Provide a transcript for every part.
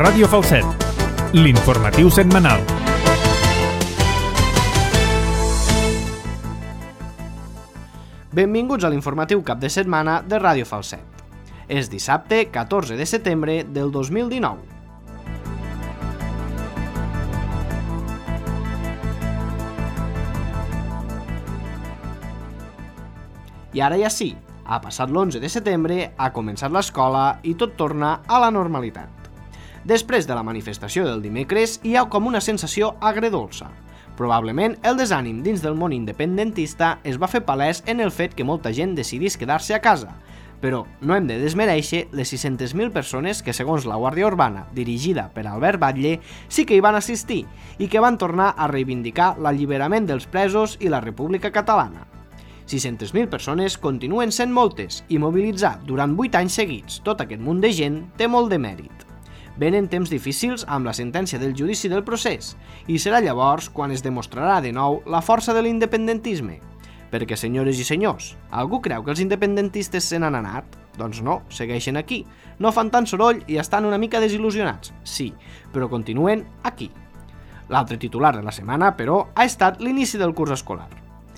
Ràdio Falset, l'informatiu setmanal. Benvinguts a l'informatiu cap de setmana de Ràdio Falset. És dissabte 14 de setembre del 2019. I ara ja sí, ha passat l'11 de setembre, ha començat l'escola i tot torna a la normalitat. Després de la manifestació del dimecres hi ha com una sensació agredolça. Probablement el desànim dins del món independentista es va fer palès en el fet que molta gent decidís quedar-se a casa, però no hem de desmereixer les 600.000 persones que, segons la Guàrdia Urbana, dirigida per Albert Batlle, sí que hi van assistir i que van tornar a reivindicar l'alliberament dels presos i la República Catalana. 600.000 persones continuen sent moltes i mobilitzar durant 8 anys seguits tot aquest munt de gent té molt de mèrit. Venen temps difícils amb la sentència del judici del procés i serà llavors quan es demostrarà de nou la força de l'independentisme. Perquè, senyores i senyors, algú creu que els independentistes se n'han anat? Doncs no, segueixen aquí. No fan tant soroll i estan una mica desil·lusionats, sí, però continuen aquí. L'altre titular de la setmana, però, ha estat l'inici del curs escolar.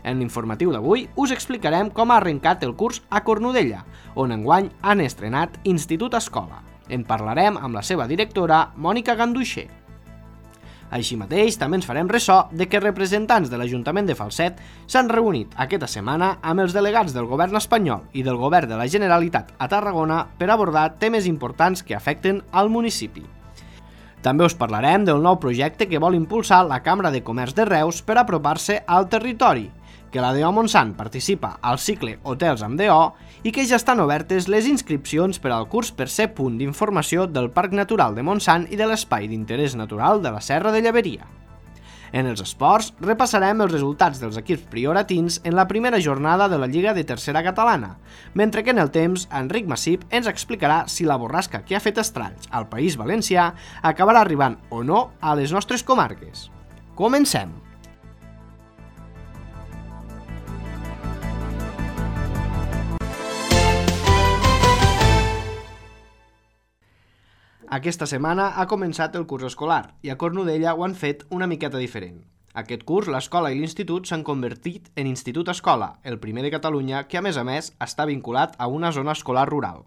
En l'informatiu d'avui us explicarem com ha arrencat el curs a Cornudella, on enguany han estrenat Institut Escola. En parlarem amb la seva directora, Mònica Ganduixer. Així mateix, també ens farem ressò de que representants de l'Ajuntament de Falset s'han reunit aquesta setmana amb els delegats del govern espanyol i del govern de la Generalitat a Tarragona per abordar temes importants que afecten al municipi. També us parlarem del nou projecte que vol impulsar la Cambra de Comerç de Reus per apropar-se al territori, que la DO Montsant participa al cicle Hotels amb DO i que ja estan obertes les inscripcions per al curs per ser punt d'informació del Parc Natural de Montsant i de l'Espai d'Interès Natural de la Serra de Lleberia. En els esports, repassarem els resultats dels equips prioratins en la primera jornada de la Lliga de Tercera Catalana, mentre que en el temps, Enric Massip ens explicarà si la borrasca que ha fet estralls al País Valencià acabarà arribant o no a les nostres comarques. Comencem! Aquesta setmana ha començat el curs escolar i a Cornudella ho han fet una miqueta diferent. Aquest curs, l'escola i l'institut s'han convertit en Institut Escola, el primer de Catalunya que, a més, està vinculat a una zona escolar rural.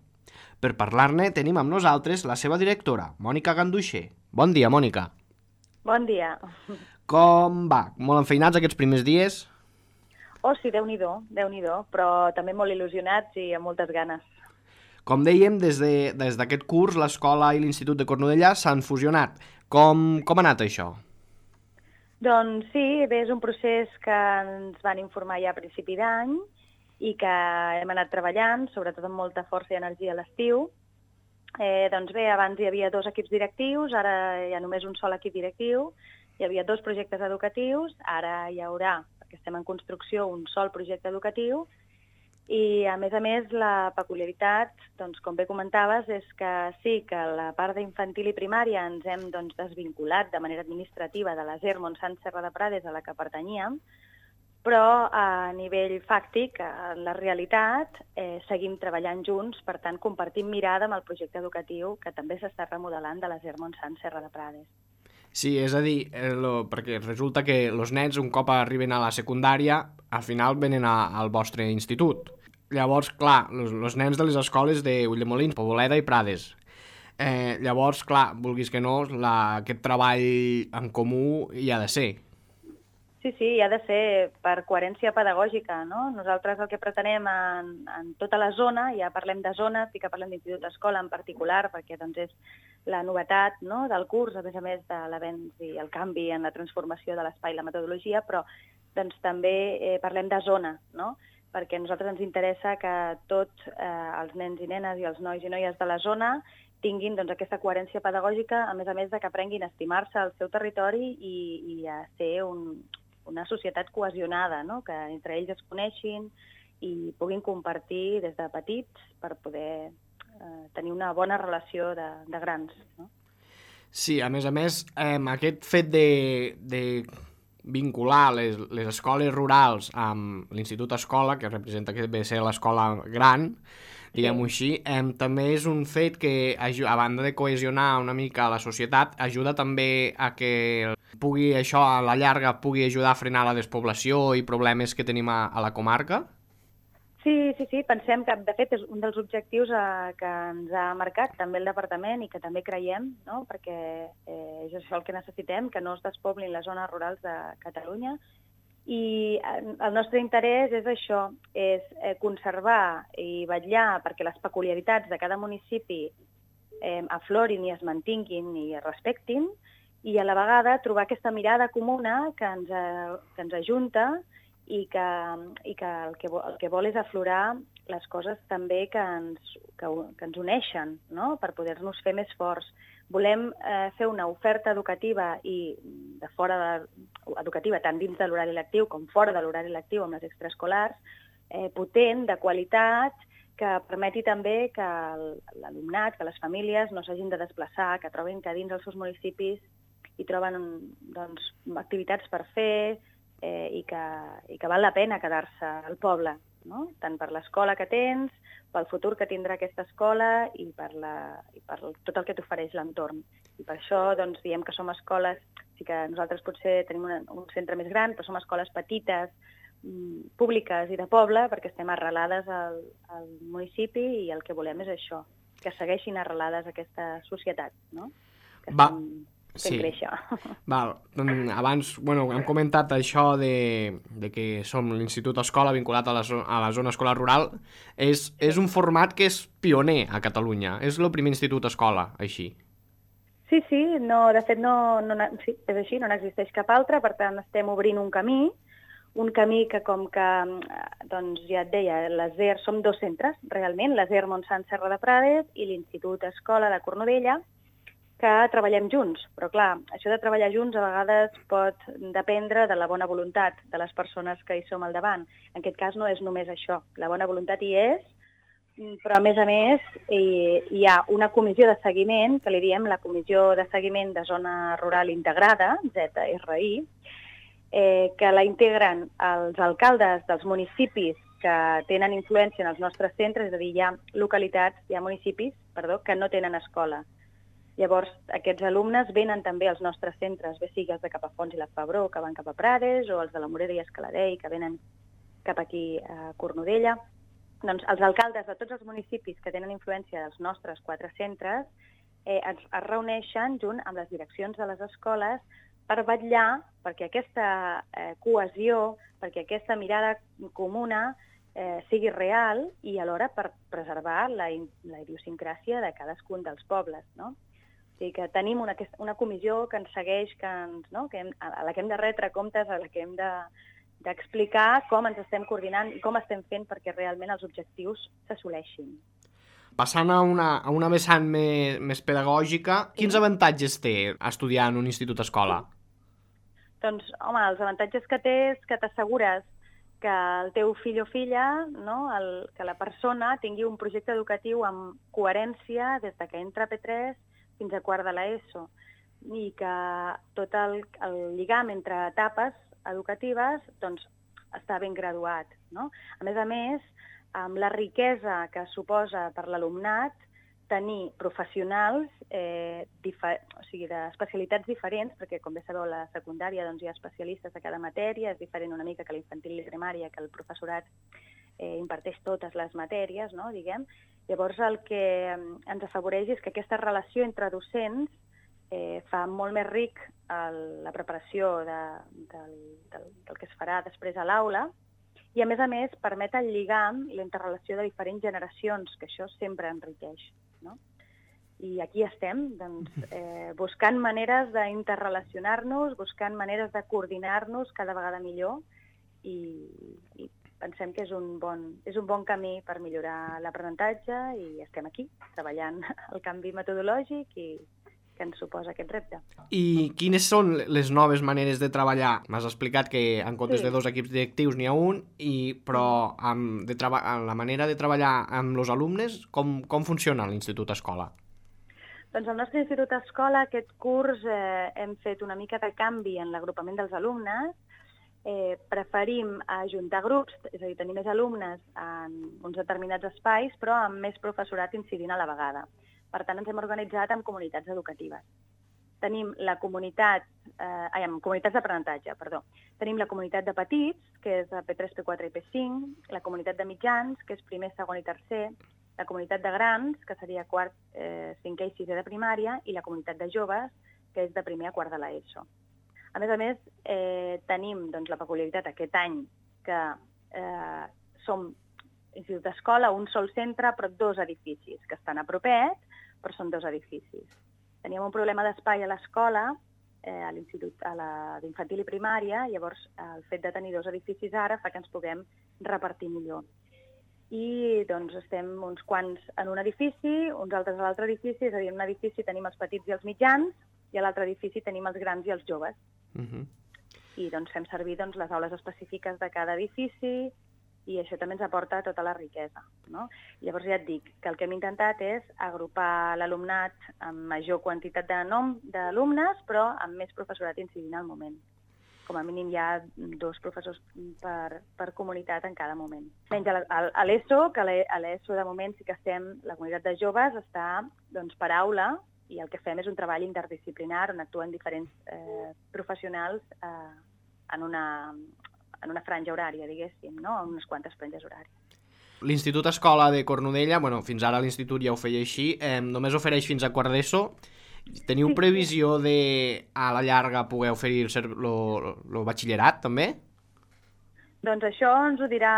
Per parlar-ne tenim amb nosaltres la seva directora, Mònica Ganduixer. Bon dia, Mònica. Bon dia. Com va? Molt enfeinats aquests primers dies? Oh, sí, Déu-n'hi-do, però també molt il·lusionats i amb moltes ganes. Com dèiem, des d'aquest curs, l'escola i l'Institut de Cornudella s'han fusionat. Com ha anat això? Doncs sí, bé, és un procés que ens van informar ja a principi d'any i que hem anat treballant, sobretot amb molta força i energia a l'estiu. Doncs bé, abans hi havia 2 equips directius, ara hi ha només un sol equip directiu, hi havia 2 projectes educatius, ara hi haurà, perquè estem en construcció, un sol projecte educatiu. I, a més, la peculiaritat, doncs, com bé comentaves, és que sí que la part d'infantil i primària ens hem desvinculat de manera administrativa de la SER Montsant Serra de Prades a la que pertanyíem, però a nivell fàctic, en la realitat, seguim treballant junts, per tant, compartim mirada amb el projecte educatiu que també s'està remodelant de la SER Montsant Serra de Prades. Sí, és a dir, perquè resulta que els nens, un cop arriben a la secundària, al final venen al vostre institut. Llavors, clar, els nens de les escoles de Ulldemolins, Poboleda i Prades. Llavors, clar, vulguis que no, aquest treball en comú hi ha de ser. Sí, hi ha de ser per coherència pedagògica, no? Nosaltres el que pretenem en tota la zona, ja parlem de zones, sí que parlem d'institut d'escola en particular, perquè doncs, és la novetat, no?, del curs, a més de l'avenç i el canvi en la transformació de l'espai i la metodologia, però doncs, també parlem de zona, no?, perquè a nosaltres ens interessa que tots els nens i nenes i els nois i noies de la zona tinguin doncs, aquesta coherència pedagògica, a més de que aprenguin a estimar-se al seu territori i a ser una societat cohesionada, no?, que entre ells es coneixin i puguin compartir des de petits per poder tenir una bona relació de grans. No? Sí, a més, aquest fet de vincular les escoles rurals amb l'Institut Escola, que representa que ve ser l'escola gran, diguem-ho així. També és un fet que, a banda de cohesionar una mica la societat, ajuda també a que pugui, això a la llarga, pugui ajudar a frenar la despoblació i problemes que tenim a la comarca? Sí, pensem que, de fet, és un dels objectius que ens ha marcat també el departament i que també creiem, no? Perquè és això el que necessitem, que no es despoblin les zones rurals de Catalunya. I el nostre interès és això, és conservar i vetllar perquè les peculiaritats de cada municipi aflorin i es mantinguin i es respectin, i a la vegada trobar aquesta mirada comuna que ens ajunta i que el que vol és aflorar les coses també que ens uneixen, no? Per poder-nos fer més forts. Volem fer una oferta educativa i educativa tant dins de l'horari lectiu com fora de l'horari lectiu amb les extraescolars, potent, de qualitat, que permeti també que l'alumnat, que les famílies no s'hagin de desplaçar, que trobin que dins els seus municipis hi troben activitats per fer, i que val la pena quedar-se al poble, no? Tant per l'escola que tens, pel futur que tindrà aquesta escola i per tot el que t'ofereix l'entorn. I per això diem que som escoles, sí que nosaltres potser tenim un centre més gran, però som escoles petites, públiques i de poble, perquè estem arrelades al municipi i el que volem és això, que segueixin arrelades a aquesta societat, no? Que fent créixer. Val. Abans hem comentat això de que som l'Institut Escola vinculat a la zona escolar rural. És un format que és pioner a Catalunya. És el primer institut escola, així. Sí, de fet sí, és així, no n'existeix cap altre, per tant estem obrint un camí que com que, ja et deia, l'ASER, som dos centres, realment, l'ASER Montsant Serra de Prades i l'Institut Escola de Cornudella, que treballem junts. Però clar, això de treballar junts a vegades pot dependre de la bona voluntat de les persones que hi som al davant. En aquest cas no és només això. La bona voluntat hi és, però a més hi ha una comissió de seguiment, que li diem la Comissió de Seguiment de Zona Rural Integrada, ZRI, que la integren els alcaldes dels municipis que tenen influència en els nostres centres, és a dir, hi ha municipis que no tenen escola. Llavors, aquests alumnes venen també als nostres centres, bé sigui els de Capafonts i la Febró, que van cap a Prades, o els de la Morera i Escaladei, que venen cap aquí a Cornudella. Doncs els alcaldes de tots els municipis que tenen influència dels nostres 4 centres es reuneixen junt amb les direccions de les escoles per vetllar perquè aquesta cohesió, perquè aquesta mirada comuna sigui real i alhora per preservar la idiosincràsia de cadascun dels pobles, no? O sigui que tenim una comissió que ens segueix, a la que hem de retre comptes, a la que hem d'explicar com ens estem coordinant i com estem fent perquè realment els objectius s'assoleixin. Passant a una vessant més pedagògica, quins avantatges té estudiar en un institut escola? Doncs, home, els avantatges que té és que t'assegures que el teu fill o filla, que la persona tingui un projecte educatiu amb coherència des que entra a P3 fins a quart de l'ESO, i que tot el lligam entre etapes educatives està ben graduat, no? A més, amb la riquesa que suposa per l'alumnat tenir professionals d'especialitats diferents, perquè com bé sabeu a la secundària hi ha especialistes de cada matèria, és diferent una mica que l'infantil i primària, que el professorat imparteix totes les matèries, no, diguem. Llavors el que ens afavoreix és que aquesta relació entre docents fa molt més ric la preparació del que es farà després a l'aula, i a més permet el lligam i la interrelació de diferents generacions, que això sempre enriqueix, no? I aquí estem, buscant maneres d'interrelacionar-nos, buscant maneres de coordinar-nos cada vegada millor, i pensem que és un bon camí per millorar l'aprenentatge, i estem aquí, treballant el canvi metodològic que ens suposa aquest repte. I quines són les noves maneres de treballar? M'has explicat que en comptes de 2 equips directius n'hi ha un, però la manera de treballar amb els alumnes, com funciona l'Institut Escola? Doncs al nostre Institut Escola aquest curs hem fet una mica de canvi en l'agrupament dels alumnes, preferim ajuntar grups, és a dir, tenir més alumnes en uns determinats espais, però amb més professorat incidint a la vegada. Per tant, ens hem organitzat en comunitats educatives. Tenim la comunitats d'aprenentatge, perdó. Tenim la comunitat de petits, que és P3, P4 i P5, la comunitat de mitjans, que és primer, segon i tercer, la comunitat de grans, que seria quart, cinquè i sisè de primària, i la comunitat de joves, que és de primer a quart de l'ESO. A més, tenim la peculiaritat aquest any que som institut d'escola, un sol centre, però 2 edificis, que estan a propet, però són 2 edificis. Teníem un problema d'espai a l'escola, a l'institut d'infantil i primària, llavors el fet de tenir 2 edificis ara fa que ens puguem repartir millor. I estem uns quants en un edifici, uns altres a l'altre edifici, és a dir, en un edifici tenim els petits i els mitjans, i a l'altre edifici tenim els grans i els joves. I fem servir les aules específiques de cada edifici, i això també ens aporta tota la riquesa, no? Llavors ja et dic que el que hem intentat és agrupar l'alumnat amb major quantitat d'alumnes, però amb més professorat incidint al moment. Com a mínim hi ha 2 professors per comunitat en cada moment. Menys a l'ESO, que a l'ESO de moment sí que la comunitat de joves està per aula, i el que fem és un treball interdisciplinar on actuen diferents professionals en una franja horària, diguéssim, no? En unes quantes franges horàries. L'Institut Escola de Cornudella, fins ara l'institut ja ho feia així, només ofereix fins a quart d'ESO. Teniu previsió de, a la llarga, poder oferir el batxillerat, també? Doncs això ens ho dirà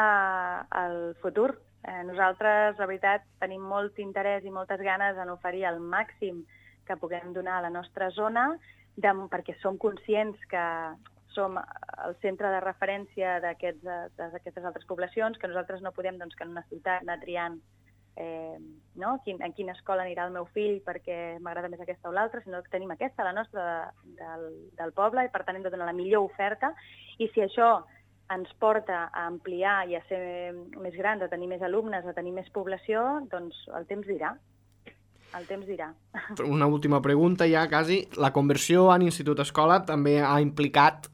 el futur. Nosaltres, la veritat, tenim molt interès i moltes ganes en oferir el màxim que puguem donar a la nostra zona, perquè som conscients que som el centre de referència d'aquestes altres poblacions, que nosaltres no podem, que en una ciutat, anar triant en quina escola anirà el meu fill perquè m'agrada més aquesta o l'altra, sinó que tenim aquesta, la nostra, del poble, i per tant hem de donar la millor oferta, i si això ens porta a ampliar i a ser més grans, a tenir més alumnes, a tenir més població, doncs el temps dirà. El temps dirà. Una última pregunta ja, quasi. La conversió en institut-escola també ha implicat,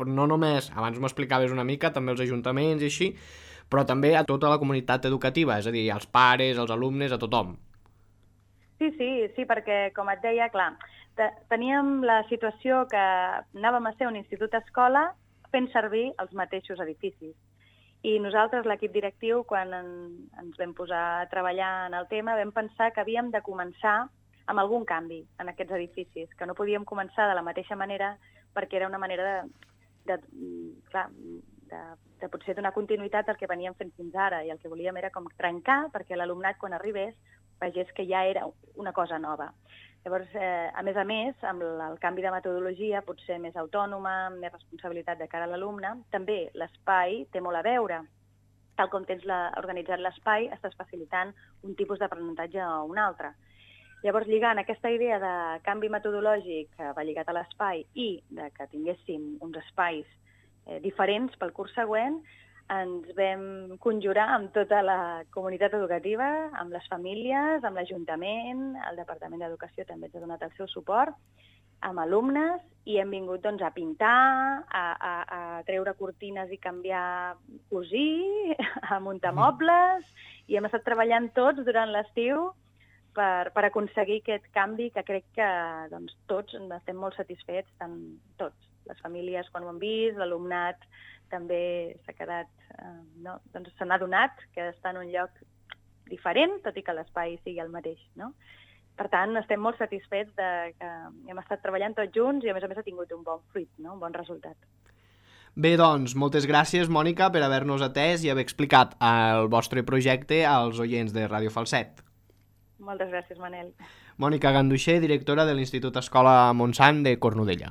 no només, abans m'ho explicaves una mica, també els ajuntaments i així, però també a tota la comunitat educativa, és a dir, als pares, als alumnes, a tothom. Sí, perquè, com et deia, clar, teníem la situació que anàvem a ser un institut-escola fent servir els mateixos edificis. I nosaltres, l'equip directiu, quan ens vam posar a treballar en el tema, vam pensar que havíem de començar amb algun canvi en aquests edificis, que no podíem començar de la mateixa manera perquè era una manera de potser donar continuïtat al que veníem fent fins ara, i el que volíem era com trencar perquè l'alumnat, quan arribés, vegés que ja era una cosa nova. Llavors, a més, amb el canvi de metodologia, potser més autònoma, amb més responsabilitat de cara a l'alumne, també l'espai té molt a veure. Tal com tens organitzat l'espai, estàs facilitant un tipus d'aprenentatge o un altre. Llavors, lligant aquesta idea de canvi metodològic que va lligat a l'espai i que tinguéssim uns espais diferents pel curs següent, ens vam conjurar amb tota la comunitat educativa, amb les famílies, amb l'Ajuntament, el Departament d'Educació també ens ha donat el seu suport, amb alumnes, i hem vingut a pintar, a treure cortines i canviar, cosir, a muntar mobles, i hem estat treballant tots durant l'estiu per aconseguir aquest canvi que crec que tots estem molt satisfets, tots, les famílies quan ho han vist, l'alumnat també s'ha quedat, se n'ha adonat que està en un lloc diferent, tot i que l'espai sigui el mateix, no? Per tant, estem molt satisfets que hem estat treballant tots junts i a més ha tingut un bon fruit, un bon resultat. Bé, doncs, moltes gràcies, Mònica, per haver-nos atès i haver explicat el vostre projecte als oients de Ràdio Falset. Moltes gràcies, Manel. Mònica Ganduixer, directora de l'Institut Escola Montsant de Cornudella.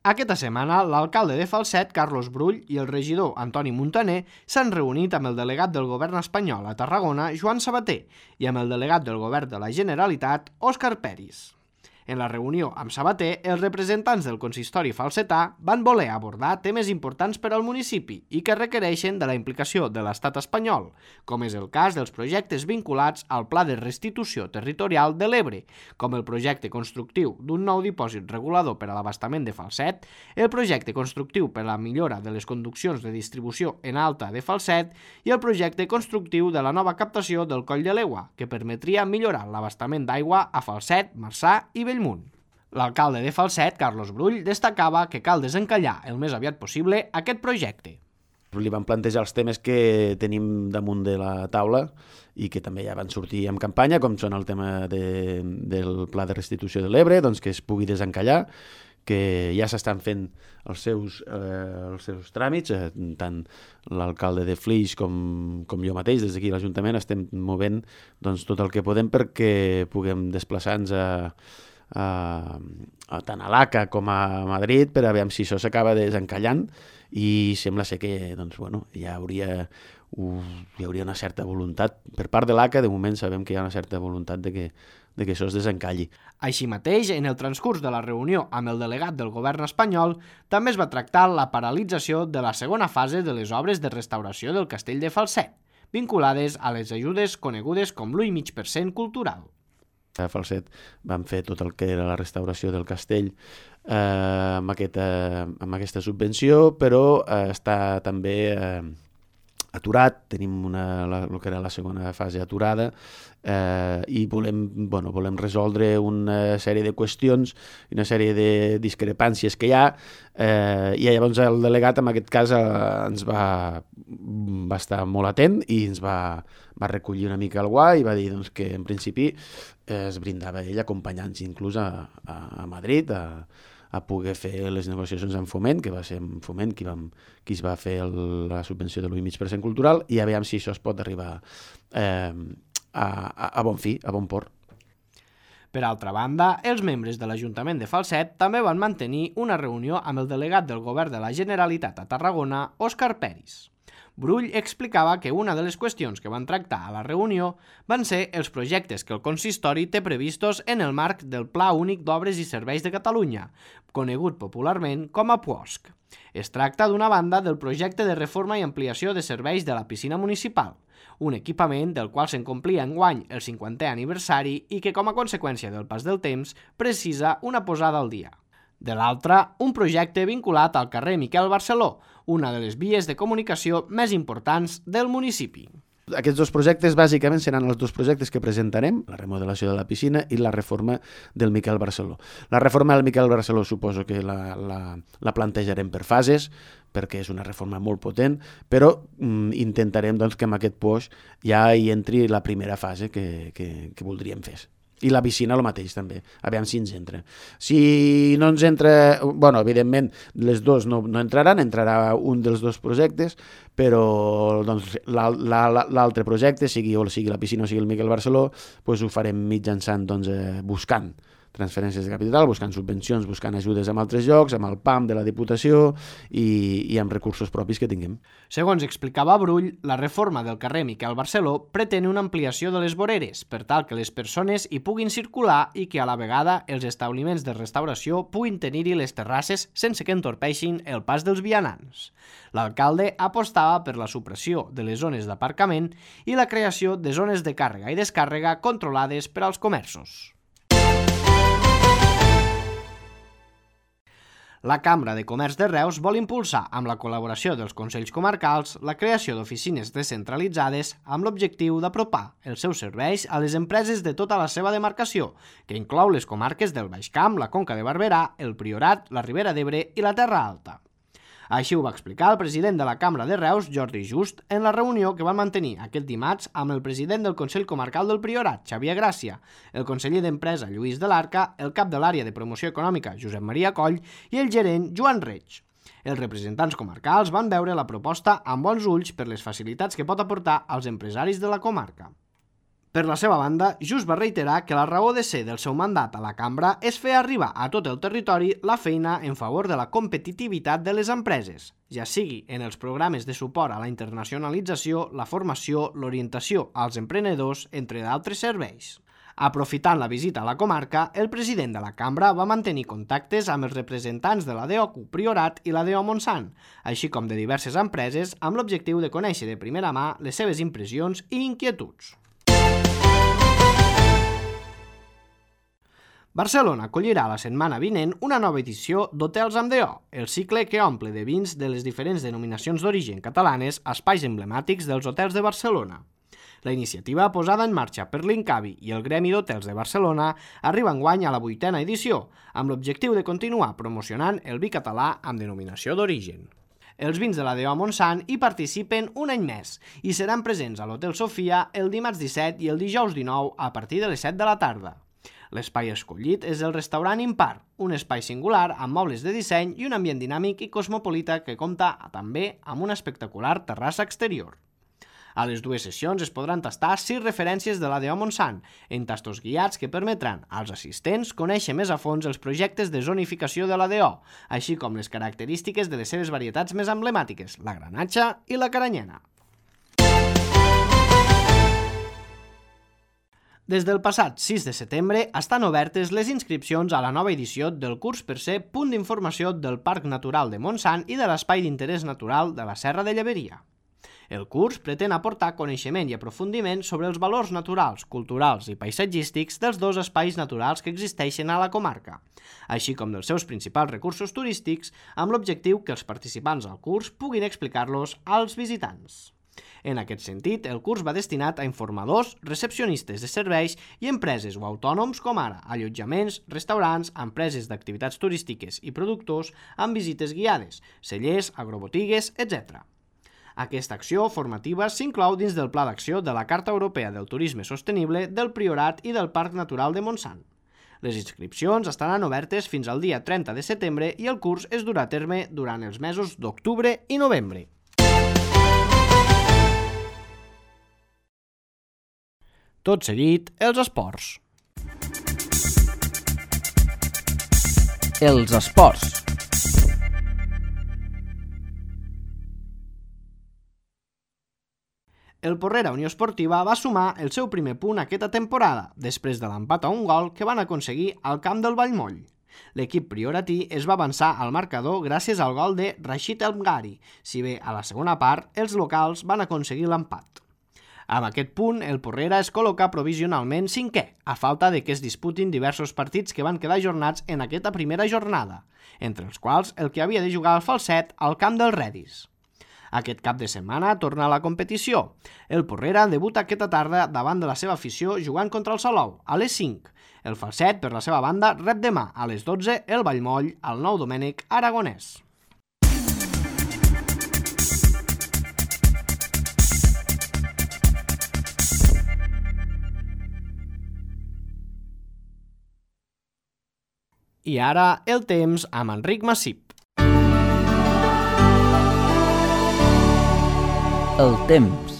Aquesta setmana, l'alcalde de Falset, Carlos Brull, i el regidor Antoni Muntaner s'han reunit amb el delegat del govern espanyol a Tarragona, Joan Sabater, i amb el delegat del govern de la Generalitat, Òscar Peris. En la reunió amb Sabater, els representants del consistori falsetà van voler abordar temes importants per al municipi i que requereixen de la implicació de l'estat espanyol, com és el cas dels projectes vinculats al Pla de Restitució Territorial de l'Ebre, com el projecte constructiu d'un nou dipòsit regulador per a l'abastament de Falset, el projecte constructiu per a la millora de les conduccions de distribució en alta de Falset i el projecte constructiu de la nova captació del Coll de l'Egua, que permetria millorar l'abastament d'aigua a Falset, Marçà i Bellmunt. L'alcalde de Falset, Carlos Brull, destacava que cal desencallar el més aviat possible aquest projecte. Li van plantejar els temes que tenim damunt de la taula i que també ja van sortir en campanya, com són el tema del Pla de Restitució de l'Ebre, doncs que es pugui desencallar, que ja s'estan fent els seus tràmits, tant l'alcalde de Flix com jo mateix, des d'aquí a l'Ajuntament, estem movent doncs, tot el que podem perquè puguem desplaçar-nos tant a l'ACA com a Madrid per a veure si això s'acaba desencallant i sembla ser que doncs, bueno, hi hauria una certa voluntat per part de l'ACA. De moment sabem que hi ha una certa voluntat de que això es desencalli. Així mateix, en el transcurs de la reunió amb el delegat del govern espanyol, també es va tractar la paralització de la segona fase de les obres de restauració del castell de Falset, vinculades a les ajudes conegudes com l'1,5% cultural. A Falset vam fer tot el que era la restauració del castell amb aquesta subvenció, però està també aturat, tenim el que era la segona fase aturada i volem resoldre una sèrie de qüestions i una sèrie de discrepàncies que hi ha i llavors el delegat en aquest cas ens va estar molt atent i ens va recollir una mica el guà i va dir doncs, que en principi es brindava ell acompanyant-nos inclús a Madrid a poder fer les negociacions amb Foment, que va ser amb Foment qui es va fer la subvenció de l'1,5% cultural, i a veure si això es pot arribar a bon fi, a bon port. Per altra banda, els membres de l'Ajuntament de Falset també van mantenir una reunió amb el delegat del Govern de la Generalitat a Tarragona, Òscar Peris. Brull explicava que una de les qüestions que van tractar a la reunió van ser els projectes que el consistori té previstos en el marc del Pla Únic d'Obres i Serveis de Catalunya, conegut popularment com a PUOSC. Es tracta d'una banda del projecte de reforma i ampliació de serveis de la piscina municipal, un equipament del qual se'n complia enguany el 50è aniversari i que, com a conseqüència del pas del temps, precisa una posada al dia. De l'altra, un projecte vinculat al carrer Miquel Barceló, una de les vies de comunicació més importants del municipi. Aquests dos projectes bàsicament seran els dos projectes que presentarem, la remodelació de la piscina i la reforma del Miquel Barceló. La reforma del Miquel Barceló suposo que la plantejarem per fases, perquè és una reforma molt potent, però intentarem doncs, que en aquest POS ja hi entri la primera fase que voldríem fer. I la piscina el mateix també, a veure si ens entra. Si no ens entra, bueno, evidentment les dues no entraran, entrarà un dels dos projectes, però doncs, l'altre projecte, sigui la piscina o sigui el Miquel Barceló, doncs ho farem mitjançant buscant transferències de capital, buscant subvencions, buscant ajudes en altres llocs, amb el PAM de la Diputació i amb recursos propis que tinguem. Segons explicava Brull, la reforma del carrer Miquel Barceló pretén una ampliació de les voreres per tal que les persones hi puguin circular i que a la vegada els establiments de restauració puguin tenir-hi les terrasses sense que entorpeixin el pas dels vianants. L'alcalde apostava per la supressió de les zones d'aparcament i la creació de zones de càrrega i descàrrega controlades per als comerços. La Cambra de Comerç de Reus vol impulsar, amb la col·laboració dels Consells Comarcals, la creació d'oficines descentralitzades amb l'objectiu d'apropar els seus serveis a les empreses de tota la seva demarcació, que inclou les comarques del Baix Camp, la Conca de Barberà, el Priorat, la Ribera d'Ebre i la Terra Alta. Així ho va explicar el president de la Cambra de Reus, Jordi Just, en la reunió que van mantenir aquest dimarts amb el president del Consell Comarcal del Priorat, Xavier Gràcia, el conseller d'Empresa, Lluís de l'Arca, el cap de l'àrea de promoció econòmica, Josep Maria Coll, i el gerent, Joan Reig. Els representants comarcals van veure la proposta amb bons ulls per les facilitats que pot aportar als empresaris de la comarca. Per la seva banda, Just va reiterar que la raó de ser del seu mandat a la cambra és fer arribar a tot el territori la feina en favor de la competitivitat de les empreses, ja sigui en els programes de suport a la internacionalització, la formació, l'orientació als emprenedors, entre d'altres serveis. Aprofitant la visita a la comarca, el president de la cambra va mantenir contactes amb els representants de la DO Priorat i la DO Montsant, així com de diverses empreses, amb l'objectiu de conèixer de primera mà les seves impressions i inquietuds. Barcelona acollirà la setmana vinent una nova edició d'Hotels amb DO, el cicle que omple de vins de les diferents denominacions d'origen catalanes espais emblemàtics dels hotels de Barcelona. La iniciativa, posada en marxa per l'Incavi i el Gremi d'Hotels de Barcelona, arriba enguany a la 8a edició, amb l'objectiu de continuar promocionant el vi català amb denominació d'origen. Els vins de la DO Montsant hi participen un any més i seran presents a l'Hotel Sofia el dimarts 17 i el dijous 19 a partir de les 7 de la tarda. L'espai escollit és el restaurant Impar, un espai singular amb mobles de disseny i un ambient dinàmic i cosmopolita que compta també amb una espectacular terrassa exterior. A les dues sessions es podran tastar 6 referències de la DO Montsant, en tastos guiats que permetran als assistents conèixer més a fons els projectes de zonificació de la DO, així com les característiques de les seves varietats més emblemàtiques, la granatxa i la caranyena. Des del passat 6 de setembre estan obertes les inscripcions a la nova edició del curs per ser punt d'informació del Parc Natural de Montsant i de l'Espai d'Interès Natural de la Serra de Lleberia. El curs pretén aportar coneixement i aprofundiment sobre els valors naturals, culturals i paisatgístics dels dos espais naturals que existeixen a la comarca, així com dels seus principals recursos turístics, amb l'objectiu que els participants al curs puguin explicar-los als visitants. En aquest sentit, el curs va destinat a informadors, recepcionistes de serveis i empreses o autònoms com ara allotjaments, restaurants, empreses d'activitats turístiques i productors amb visites guiades, cellers, agrobotigues, etc. Aquesta acció formativa s'inclou dins del Pla d'Acció de la Carta Europea del Turisme Sostenible del Priorat i del Parc Natural de Montsant. Les inscripcions estaran obertes fins al dia 30 de setembre i el curs es durà a terme durant els mesos d'octubre i novembre. Tot seguit, els esports. Els esports. El Porrera Unió Esportiva va sumar el seu primer punt aquesta temporada, després de l'empat a un gol que van aconseguir al camp del Vallmoll. L'equip prioratí es va avançar al marcador gràcies al gol de Rashid El Mghari, si bé a la segona part els locals van aconseguir l'empat. Amb aquest punt, el Porrera es col·loca provisionalment 5è, a falta de que es disputin diversos partits que van quedar ajornats en aquesta primera jornada, entre els quals el que havia de jugar al Falset al camp del Redis. Aquest cap de setmana torna a la competició. El Porrera debuta aquesta tarda davant de la seva afició jugant contra el Salou, a les 5. El Falset, per la seva banda, rep demà a les 12 el Vallmoll al Nou Domènec Aragonès. I ara el temps amb Enric Massip. El temps.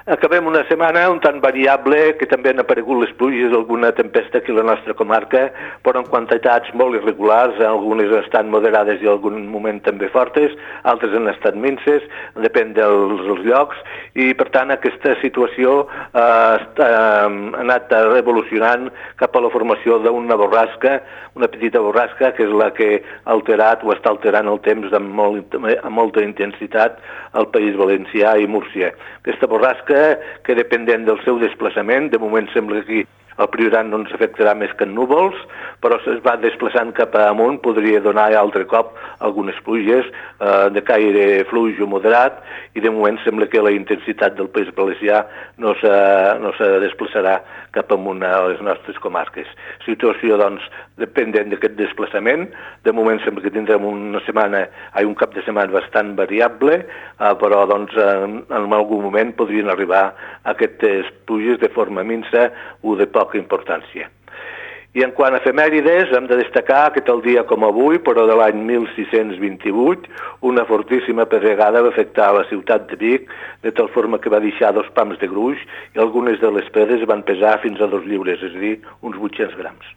Acabem una setmana un tant variable que també han aparegut les pluges, alguna tempesta aquí a la nostra comarca, però en quantitats molt irregulars, algunes han estat moderades i en algun moment també fortes, altres han estat minces, depèn dels llocs, i per tant aquesta situació ha anat evolucionant cap a la formació d'una borrasca, una petita borrasca, que és la que ha alterat o està alterant el temps amb molta intensitat al País Valencià i Múrcia. Aquesta borrasca, que dependent del seu desplaçament, de moment sembla que el Priorat no ens afectarà més que en núvols, però es va desplaçant cap amunt, podria donar altre cop algunes pluges de caire fluix o moderat, i de moment sembla que la intensitat del País Valencià no se desplaçarà cap amunt a les nostres comarques. Situació, doncs, dependent d'aquest desplaçament. De moment sembla que tindrem un cap de setmana bastant variable, però doncs, en algun moment podrien arribar aquestes pluges de forma minsa o de poca importància. I en quant a efemèrides, hem de destacar que tal dia com avui, però de l'any 1628, una fortíssima pedregada va afectar a la ciutat de Vic, de tal forma que va deixar 2 pams de gruix i algunes de les pedres van pesar fins a 2 lliures, és a dir, uns 800 grams.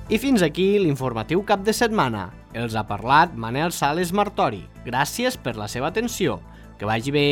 I fins aquí l'informatiu cap de setmana. Els ha parlat Manel Sales Martori. Gràcies per la seva atenció. Que vagi bé.